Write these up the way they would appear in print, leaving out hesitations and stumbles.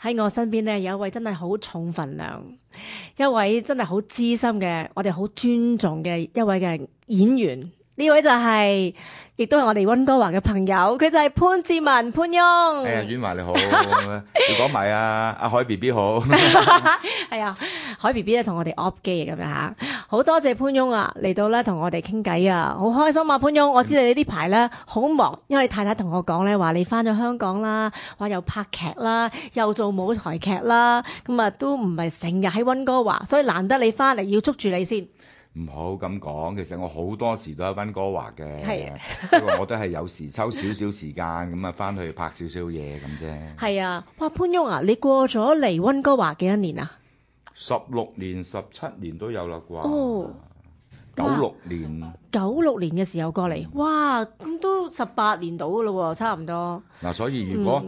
喺我身邊咧有一位真係好重份量，一位真係好資深嘅，我哋好尊重嘅一位嘅演員。呢位就係、亦都係我哋溫哥華嘅朋友，佢就係潘志文潘翁。哎呀，婉華你好，你講埋啊，阿海 B B 好。係啊，海 B B 咧同我哋 off 機咁樣吓，好多謝潘翁啊嚟到咧同我哋傾偈啊，好開心啊潘翁，我知你呢排咧好忙，因為你太太同我講咧話你翻咗香港啦，話又拍劇啦，又做舞台劇啦，咁啊都唔係成日喺溫哥華，所以難得你翻嚟要捉住你先。唔好咁講，其實我好多時都喺溫哥華嘅，係不過我都係有時抽少少時間咁啊，翻去拍少少嘢咁啫。係啊，哇潘翁啊，你過咗嚟溫哥華幾多年啊16年、17年都有啦啩。哦96年。 ？96年嘅時候過嚟，哇，咁都18年到噶咯喎，差唔多。嗱，所以如果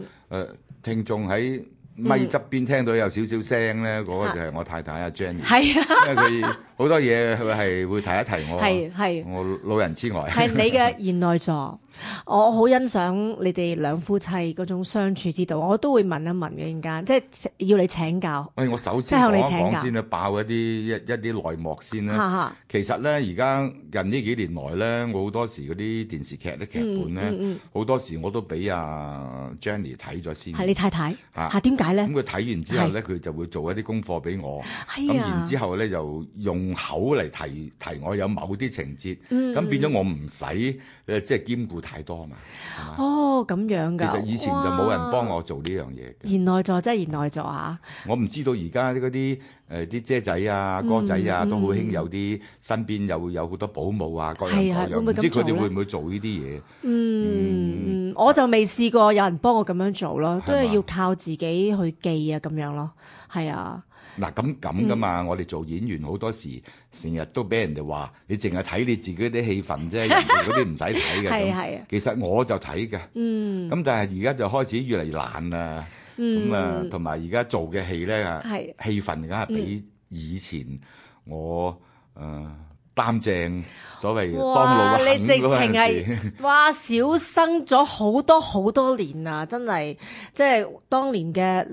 聽眾喺咪側邊聽到有少少聲咧，嗰個就係我太太阿 Jenny，係啊，因為佢好多嘢佢係會提一提我，係我老人痴呆。係你嘅賢內助，我好欣賞你哋兩夫妻嗰種相處之道，我都會問一問嘅陣間，即係要你請教。喂，我首即係向先講一你請教講先啦，爆一啲內幕先哈啦。哈其實咧，而家近呢幾年來咧，我好多時嗰啲電視劇啲劇本咧，好多時我都俾阿 Jenny 睇咗先。係你太太啊嚇？點解咧咁？佢睇完之後咧，佢就會做一啲功課俾我。咁係啊然之後咧，就用口嚟提我有某啲情節，咁變咗我唔使即係兼顧太多嘛，係嘛？哦，咁樣㗎。其實以前就冇人幫我做呢樣嘢嘅。賢內助，真係賢內助嚇。我唔知道而家嗰啲啲姐仔啊、哥仔啊，都好興有啲身邊有好多保姆啊，各樣各樣，係會唔會咁唔知佢哋做咧會唔會做呢啲嘢？我就未試過有人幫我咁樣做咯，都係係嘛要靠自己去記啊咁樣咯。係啊，嗱咁噶嘛，我哋做演員好多時成日都俾人哋話，你淨係睇你自己啲戲份啫，人哋嗰啲唔使睇嘅。係咁係其實我就睇嘅。咁但係而家就開始越嚟越懶啦。咁啊，同埋而家做嘅戲咧，係戲份梗係比以前我擔正所謂當哇！老肯你直情嗰陣係時。哇小生咗好多好多年啊！真係即係當年嘅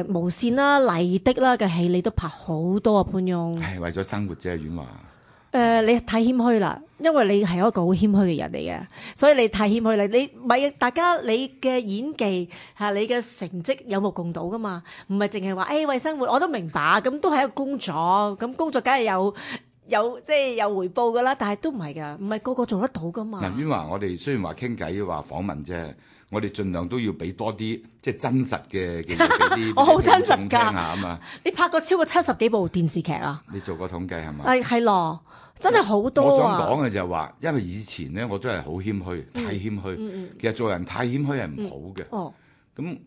無線啦、麗的啦嘅戲，你都拍好多啊潘翁。係為咗生活啫，婉華。你太謙虛啦，因為你係一個好謙虛嘅人嚟嘅，所以你太謙虛啦。你唔係大家你嘅演技嚇，你嘅成績有目共睹噶嘛，唔係淨係話為生活，我都明白，咁都係一個工作，咁工作梗係有即係有回報噶啦，但係都唔係噶，唔係個個做得到噶嘛。嗱，婉華，我哋雖然話傾偈話訪問啫，我哋盡量都要俾多啲即係真實嘅嘢俾啲我好真實㗎聽眾聽下啊嘛。你拍過超過70幾部電視劇啊？你做過統計係嘛？係咯，真係好多我想啊！講嘅就係話，因為以前咧我都係好謙虛，太謙虛。其實做人太謙虛係唔好嘅。哦，咁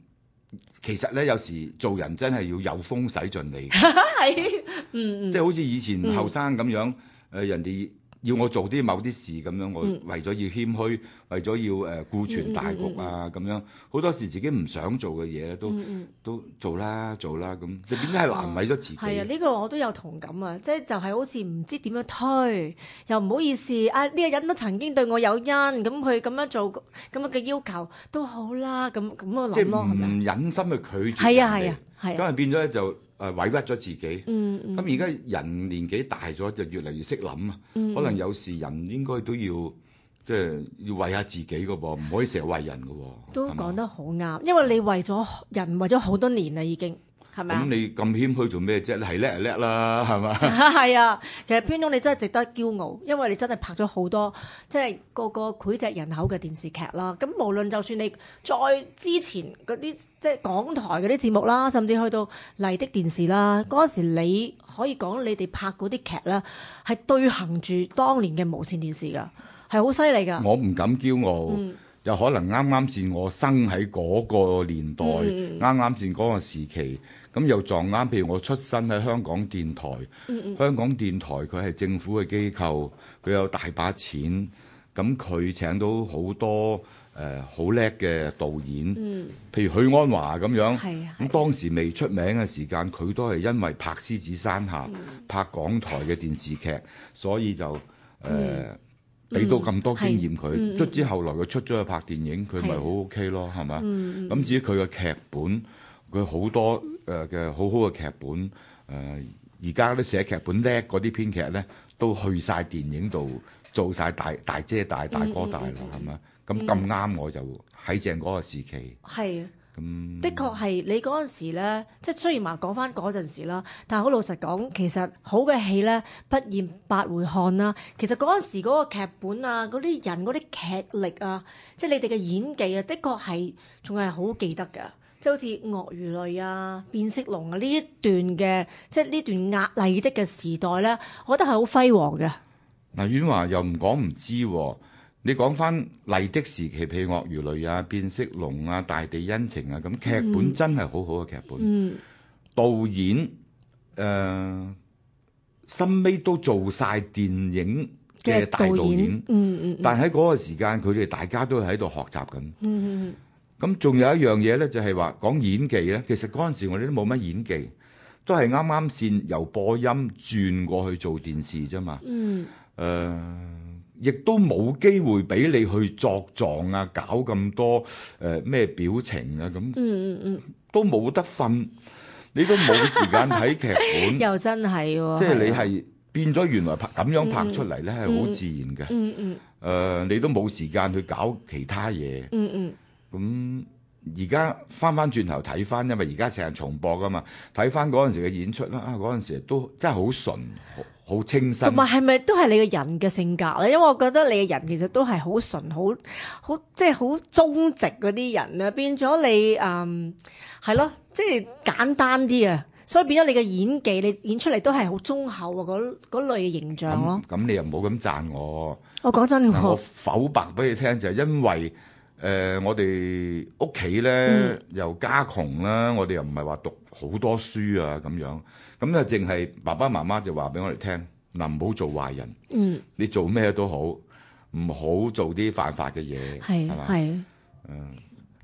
其實咧有時做人真係要有風使盡利。係即係好似以前後生咁樣，人哋要我做啲某啲事咁樣，我為咗要謙虛，為咗要顧全大局啊咁樣，好多時自己唔想做嘅嘢都做啦咁，你點解係難為咗自己？係啊，呢個我都有同感啊！即係就係好似唔知點樣推，又唔好意思啊！呢個人都曾經對我有恩，咁佢咁樣做咁樣嘅要求都好啦，咁我即係諗咯，係咪啊？唔忍心去拒絕係啊人哋係啊咁啊變咗咧就委屈咗自己。咁而家嗯人年紀大咗，就越嚟越識諗啊。可能有時人應該都要即係要為下自己嘅噃，唔可以成日為人嘅喎。都係嘛講得好啱，因為你為咗人為咗好多年啦，已經係咪啊咁？你咁謙虛做咩啫？你係叻就叻啦，係嘛？係啊，其實潘總你真係值得驕傲，因為你真係拍咗好多即係個膾炙人口嘅電視劇啦。咁無論就算你再之前嗰啲即係港台嗰啲節目啦，甚至去到麗的電視啦，嗰陣時你可以講你哋拍嗰啲劇啦，係對行住當年嘅無線電視㗎，係好犀利㗎。我唔敢驕傲，有可能啱啱先我生喺嗰個年代，啱啱先嗰個時期，咁又撞啱。譬如我出身喺香港電台，香港電台佢係政府嘅機構，佢有大把錢，咁佢請到好多好叻嘅導演，譬如許鞍華咁樣。係啊咁當時未出名嘅時間，佢都係因為拍《獅子山下》拍港台嘅電視劇，所以就俾到咁多經驗佢。卒之後來佢出咗去拍電影，佢咪好 OK 咯，係嘛？咁至於佢嘅劇本，佢好多嘅好好嘅劇本，而家啲寫劇本叻嗰啲編劇咧，都去晒電影度做晒大姐大哥大啦，係咪？咁咁啱我就喺正嗰個時期。係。的確係你嗰陣時咧，即係雖然話講翻嗰陣時啦，但係好老實講，其實好嘅戲咧不厭百回看啦。其實嗰陣時嗰個劇本啊，嗰啲人嗰啲劇力啊，即係你哋嘅演技啊，的確係仲係好記得㗎。即係好似鱷魚淚啊、變色龍啊呢一段嘅，即係呢段壓麗的嘅時代咧，我覺得係好輝煌嘅。嗱，婉華又唔講唔知喎。你講翻麗的時期，譬如鱷魚淚啊、變色龍啊、大地恩情啊，咁劇本真係好好嘅劇本。導演深尾都做晒電影嘅大導演。但喺嗰個時間，佢哋大家都喺度學習緊。咁仲有一樣嘢咧，就係話講演技咧。其實嗰陣時我哋都冇乜演技，都係啱啱先由播音轉過去做電視啫嘛。亦都冇機會俾你去作狀啊，搞咁多咩表情啊，咁都冇得瞓，你都冇時間睇劇本。又真係喎，即係你係變咗原來咁樣拍出嚟咧，係好自然嘅。你都冇時間去搞其他嘢。咁而家翻轉頭睇翻，因為而家成日重播噶嘛，睇翻嗰陣時嘅演出啦，嗰陣時都真係好純。好清新，同埋係咪都係你嘅人嘅性格咧？因為我覺得你嘅人其實都係好純、好即係好忠直嗰啲人啊，變咗你係咯，即係簡單啲啊，所以變咗你嘅演技，你演出嚟都係好忠厚啊嗰類嘅形象咯。咁你又唔好咁讚我。我講真嘅，我剖白俾你聽就係因為我哋屋企咧又家窮啦，我哋又唔係話讀好多書啊咁樣。咁就淨係爸爸媽媽就話俾我哋聽，嗱，唔好做壞人，你做咩都好，唔好做啲犯法嘅嘢，係嘛？係，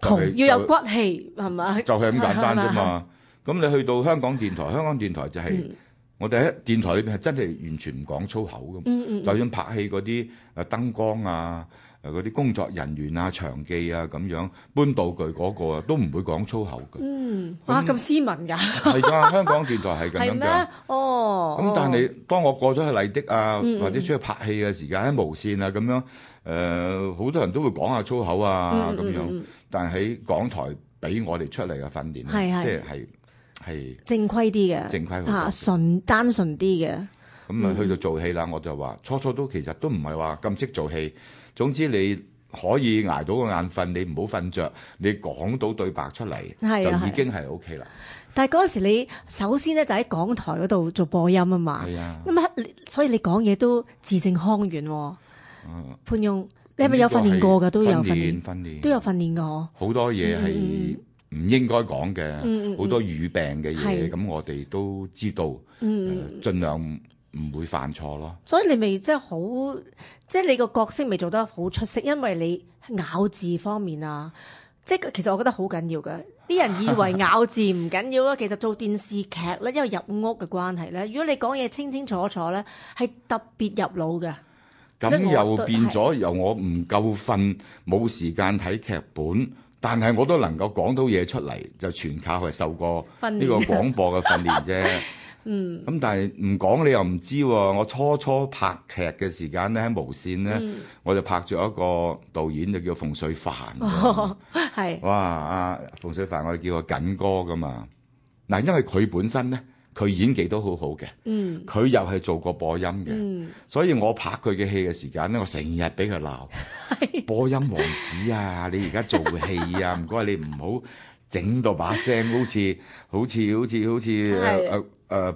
窮要有骨氣，係咪？就係咁簡單啫嘛。咁你去到香港電台，香港電台就係我哋喺電台裏邊係真係完全唔講粗口咁，就算拍戲嗰啲燈光啊。嗰啲工作人員啊、場記啊咁樣搬道具嗰個啊，都唔會講粗口嘅。哇，咁斯文㗎？係㗎，香港電台係咁樣㗎。哦。咁但係當我過咗去麗的啊，或者出去拍戲嘅時間喺無線啊咁樣，好多人都會講下粗口啊咁樣。但係喺港台俾我哋出嚟嘅訓練，即係正規啲嘅，正規嚇單純啲嘅。咁啊，去到做戲啦，我就話初都其實都唔係話咁識做戲。總之你可以捱到個眼瞓，你唔好瞓着，你講到對白出嚟就已經係 OK 啦。但係嗰陣時你首先咧就喺港台嗰度做播音啊嘛，咁所以你講嘢都字正腔圓喎。潘翁，你係咪有訓練過㗎？都有訓練，都有訓練㗎。好多嘢係唔應該講嘅，好多語病嘅嘢，咁我哋都知道，盡量唔會犯錯咯，所以你咪即係好，即係你個角色咪做得好出色，因為你咬字方面啊，即係其實我覺得好緊要㗎。啲人以為咬字唔緊要啦，其實做電視劇咧，因為入屋嘅關係咧，如果你講嘢清清楚楚咧，係特別入腦嘅。咁又變咗，由我唔夠瞓，冇時間睇劇本，但係我都能夠講到嘢出嚟，就全靠係受過呢個廣播嘅訓練啫。咁但係唔講你又唔知喎。我初拍劇嘅時間咧，喺無線咧，我就拍咗一個導演就叫馮淬帆。係哇，阿馮淬帆我哋叫佢緊哥噶嘛。嗱，因為佢本身咧，佢演技都好好嘅。佢又係做過播音嘅。所以我拍佢嘅戲嘅時間咧，我成日俾佢鬧。播音王子啊，你而家做戲啊，唔該你唔好整到把聲好似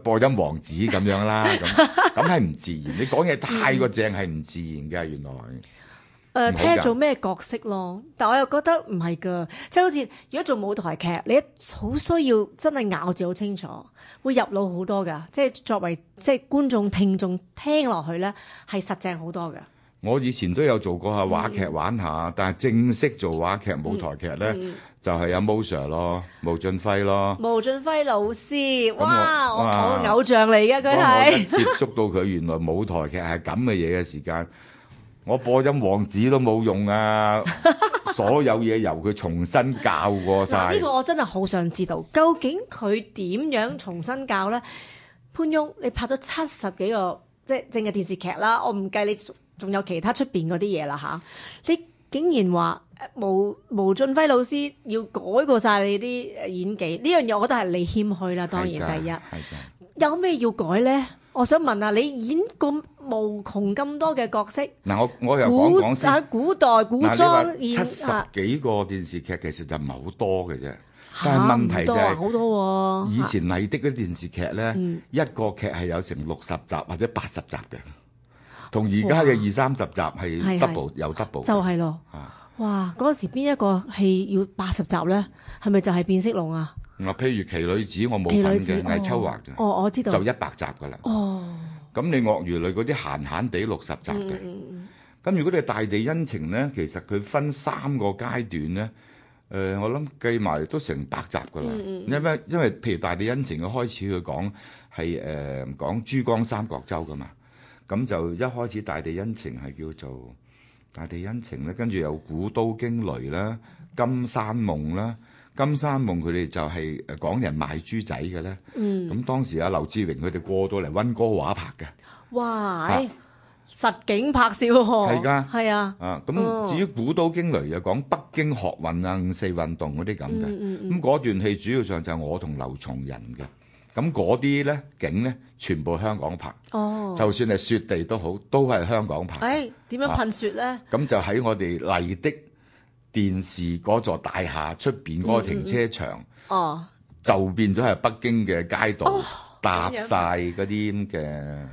播音王子咁樣啦，咁係唔自然。你講嘢太過正係唔自然嘅，原來。睇下做咩角色咯，但我又覺得唔係㗎，即係好似如果做舞台劇，你好需要真係咬字好清楚，會入腦好多㗎。即係作為即係觀眾聽眾聽落去咧，係實正好多㗎。我以前都有做過下話劇玩下，但係正式做話劇舞台劇咧，就係阿 Mo Sir 咯，毛俊輝咯。毛俊輝老師，哇！我偶像嚟嘅佢係。我一接觸到佢原來舞台劇係咁嘅嘢嘅時間，我播音王子都冇用啊！所有嘢由佢重新教過晒。呢個我真係好想知道，究竟佢點樣重新教咧？潘翁，你拍咗70幾個即係正嘅電視劇啦，我唔計你仲有其他出邊嗰啲嘢啦嚇，你竟然話毛俊輝老師要改過晒你啲演技，呢樣嘢我覺得係你謙虛啦。當然第一，有咩要改咧？我想問下，你演咁無窮咁多嘅角色，嗱，我又講先。古代古裝70幾個電視劇其實就唔係好多嘅啫，但係問題就係好多以前麗的嗰啲電視劇咧，一個劇係有成60集或者80集嘅，同而家嘅20-30集係 double 有 double。就係咯，哇！嗰陣時邊一個戲要80集咧？係咪就係變色龍啊？譬如奇女子我冇份嘅，魏秋華嘅。我知道。就100集㗎啦。咁你鱷魚淚嗰啲閒閒地60集嘅。咁如果你係大地恩情咧，其實佢分3個階段咧。我諗計埋都成100集㗎啦。因為譬如大地恩情嘅開始佢講係講珠江三角洲㗎嘛。咁就一開始大地恩情係叫做大地恩情咧，跟住有古都驚雷啦、金山夢啦。金山夢佢哋就係講人賣豬仔嘅咧，咁當時劉志榮佢哋過到嚟溫哥華拍嘅，哇！實景拍攝喎，係㗎，係啊，咁至於古都驚雷又講北京學運啊、5·4運動嗰啲咁嘅，咁嗰段戲主要上就係我同劉松仁嘅，咁嗰啲咧景咧全部香港拍，就算係雪地都好，都係香港拍。點樣噴雪咧？咁就喺我哋麗的電視嗰座大廈出邊嗰個停車場，就變咗係北京嘅街道，搭晒嗰啲咁嘅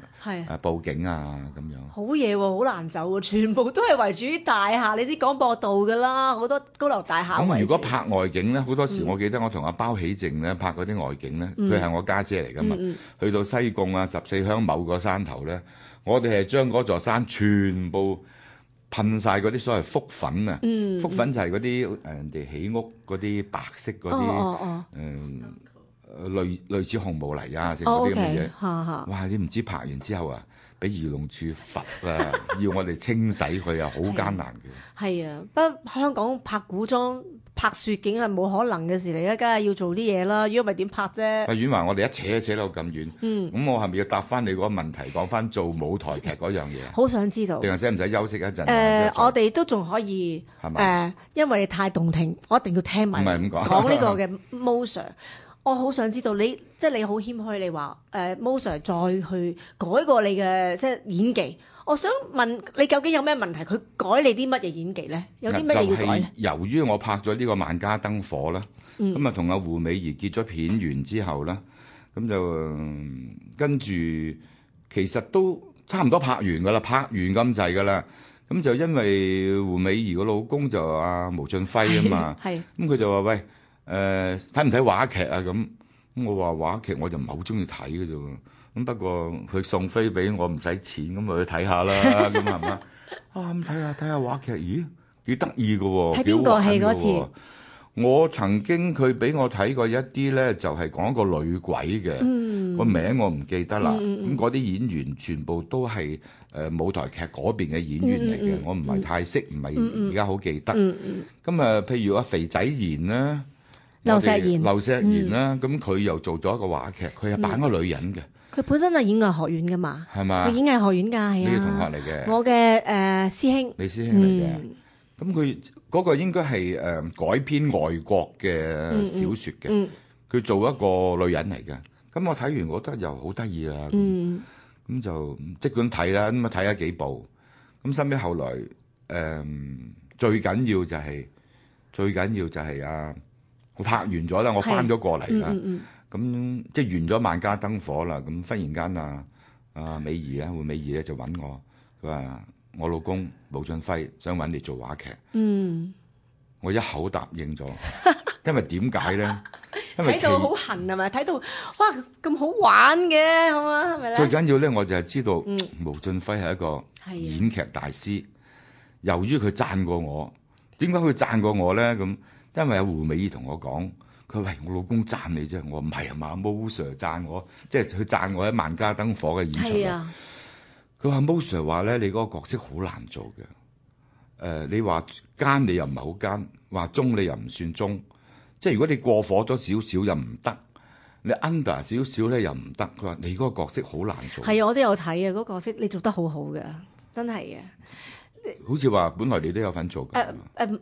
佈景啊咁樣。好嘢喎，好難走喎，全部都係圍住啲大廈，你知廣播道㗎啦，好多高樓大廈。咁如果拍外景咧，好多時我記得我同阿包喜靜咧拍嗰啲外景咧，佢係我家姐嚟㗎嘛，去到西貢啊14鄉某個山頭咧，我哋係將嗰座山全部噴晒嗰啲所謂覆粉啊，覆粉就係嗰啲人哋起屋嗰啲白色嗰啲類似紅毛泥啊，成嗰啲咁嘅嘢。哇！你唔知拍完之後啊，俾漁農處罰啊，要我哋清洗佢啊，好艱難嘅。係啊，不過香港拍古裝拍雪景係冇可能嘅事嚟啊，梗係要做啲嘢啦。如果唔係點拍啫？阿婉華，我哋一扯到咁遠，咁我係咪要答翻你嗰個問題，講翻做舞台劇嗰樣嘢？好想知道。定係使唔使休息一陣？我哋都仲可以因為太動聽，我一定要聽埋。唔係咁講。講呢個嘅 Mo Sir，我好想知道你你好謙虛，你話Mo Sir 再去改過你嘅即係演技。我想問你究竟有咩問題？佢改你啲乜嘢演技咧？有啲乜嘢要改咧？由於我拍咗呢個《萬家燈火》啦，咁啊同阿胡美儀結咗片完之後啦，咁就跟住其實都差唔多拍完噶啦，拍完咁滯噶啦。咁就因為胡美儀個老公就阿毛俊輝啊嘛，咁佢就話喂，睇唔睇話劇啊？咁我話話劇我就唔係好中意睇嘅啫喎。咁不過佢送飛俾我唔使錢，咁咪去睇下啦，咁係嘛？咁睇下話劇，咦幾得意嘅喎？睇邊個戲嗰次？我曾經佢俾我睇過一啲咧，就係講一個女鬼嘅，個名我唔記得啦。咁嗰啲演員全部都係舞台劇嗰邊嘅演員嚟嘅，我唔係太識，唔係而家好記得。咁啊，譬如阿肥仔賢啦，劉錫賢啦，咁佢又做咗一個話劇，佢係扮個女人嘅。佢本身係演藝學院㗎嘛，係嘛？佢演藝學院㗎，係啊。你嘅同學嚟嘅，我嘅師兄。你師兄嚟嘅，咁佢嗰個應該係改編外國嘅小説嘅，佢做一個女人嚟嘅。咁我睇完覺得又好得意啊，咁就即管睇啦，咁啊睇咗幾部，咁收尾後來最緊要就係我拍完咗啦，我翻咗過嚟啦。咁即係完咗《萬家燈火》啦，咁忽然間阿美儀啊，胡美儀咧就揾我，佢話我老公毛俊輝想揾你做話劇，我一口答應咗，因為點解咧？睇到好痕係咪？睇到哇咁好玩嘅，好嘛係咪咧？最緊要咧，我就係知道毛俊輝係一個演劇大師。由於佢讚過我，點解佢讚過我咧？咁因為阿胡美儀同我講。佢話：我老公讚你啫，我唔係啊嘛，Mo Sir 讚我，即係佢讚我喺《萬家燈火》嘅演出。佢話：Mo Sir 話咧，你嗰個角色好難做嘅，你話奸你又唔係好奸，話中你又唔算中，即係如果你過火咗少少又唔得，你 under 少少咧又唔得。佢話你嗰個角色好難做。係啊，我都有睇啊，嗰個角色你做得好好嘅，真係嘅。好似話本來你都有份做嘅。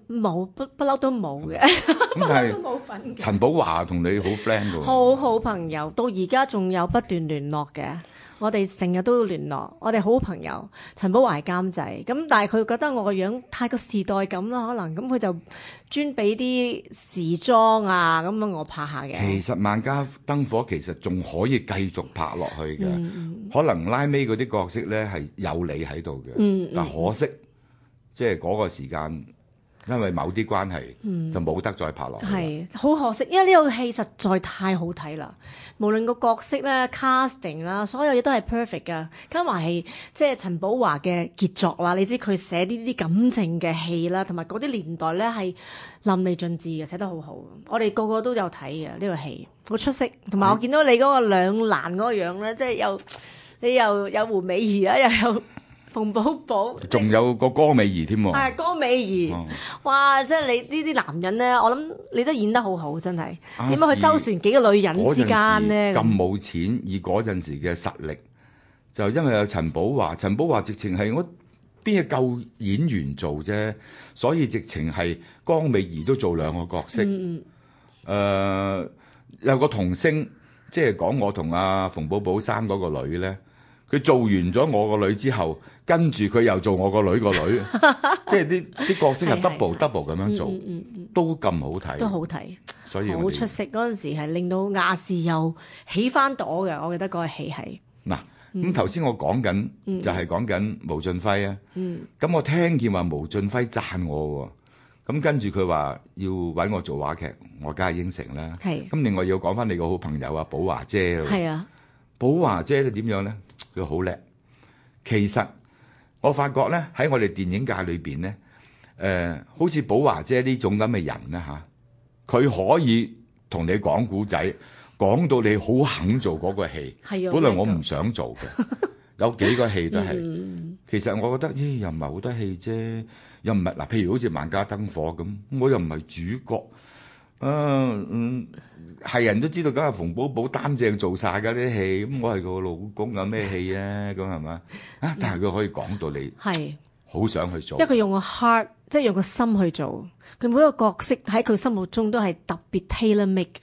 冇不嬲都冇嘅。咁但都冇份係陳寶華同你好 friend 㗎喎。好好朋友，到而家仲有不斷聯絡嘅。我哋成日都要聯絡，我哋好朋友。陳寶華係監製，咁但係佢覺得我個樣太過時代感啦，可能咁佢就專俾啲時裝啊咁樣我拍下嘅。其實萬家燈火其實仲可以繼續拍落去嘅，可能拉尾嗰啲角色咧係有你喺度嘅，但可惜即係嗰個時間。因為某啲關係，就冇得再拍落去。係好可惜，因為呢個戲實在太好睇啦。無論個角色咧、casting 啦，所有嘢都係 perfect 噶。加埋係即係陳寶華嘅傑作啦。你知佢寫呢啲感情嘅戲啦，同埋嗰啲年代咧係淋漓盡致嘅，寫得好好。我哋個個都有睇嘅呢個戲，好出色。同埋我見到你嗰個兩難嗰個樣咧，即係你又有胡美儀啊，又有馮寶寶，仲有個江美儀添喎。係江美儀，哇！即係你呢啲男人咧，我諗你都演得好好，真係。點樣去周旋幾個女人之間咧？咁冇錢，以嗰陣時嘅實力，就因為有陳寶華，陳寶華直情係我邊係夠演員做啫，所以直情係江美儀都做兩個角色。有個童星，即係講我同阿馮寶寶生嗰個女咧，佢做完咗我個女之後。跟住佢又做我個女個女，即係啲角色係 double 咁樣做，都咁好睇，都好睇，所以好出色。嗰陣時係令到亞視又起翻朵嘅，我記得嗰個戲係。嗱，咁頭先我講緊就係講緊毛俊輝啊，咁我聽見話毛俊輝讚我喎，咁跟住佢話要揾我做話劇，我梗係應承啦。係。咁另外要講翻你個好朋友啊，寶華姐咯。係啊，寶華姐咧點樣咧？佢好叻，其實。我發覺咧喺我哋電影界裏邊咧，好似寶華姐呢種咁嘅人咧嚇，佢可以同你講古仔，講到你好肯做嗰個戲。係啊，本來我唔想做嘅，有幾個戲都係。其實我覺得，又唔係好多戲啫，又唔係嗱，譬如好似萬家燈火咁，我又唔係主角。係人都知道，梗係馮寶寶擔正做晒㗎啲戲，咁我係個老公有咩戲啊？咁係嘛？但係佢可以講到你係好想去做，因為佢用個 heart， 即係用個心去做。佢每一個角色喺佢心目中都係特別 tailor make，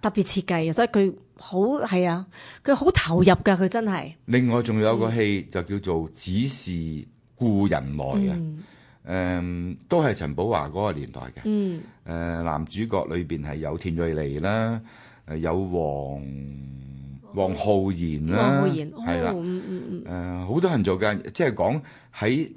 特別設計嘅，所以佢好係啊，佢好投入㗎，佢真係。另外仲有個戲就叫做《只是故人來》啊。都係陳寶華嗰個年代嘅。男主角裏邊係有田蕊妮啦，有黃浩然啦，係啦，好多人做嘅，即係講喺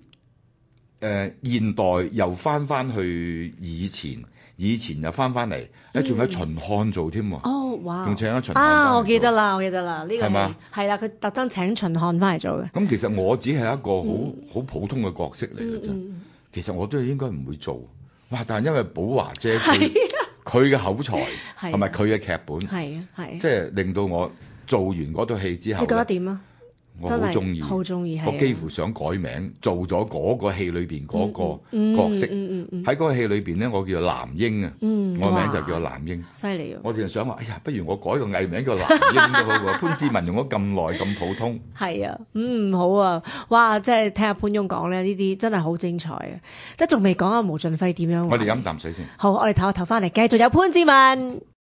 現代又翻去以前又翻嚟，仲有秦漢做添喎。哦，哇！仲請咗秦漢啊，我記得啦，呢個係嘛？係啦，佢特登請秦漢翻嚟做嘅。咁其實我只係一個好普通嘅角色嚟嘅啫。其實我都應該唔會做，哇！但係因為寶華姐佢嘅口才同埋佢嘅劇本，即係令到我做完嗰套戲之後，你覺得點啊？我好中意，好中意，我幾乎想改名，做咗嗰個戲裏邊嗰個角色。喺嗰個戲裏邊咧，我叫做藍英啊，我名就叫藍英。犀利啊！我淨係想話，哎呀，不如我改個藝名叫藍英都好喎。潘志文用咗咁耐，咁普通。係啊，好啊，哇！即係聽阿潘翁講咧，呢啲真係好精彩啊！即係仲未講阿毛俊輝點樣。我哋飲啖水先。好，我哋唞一唞翻嚟，繼續有潘志文。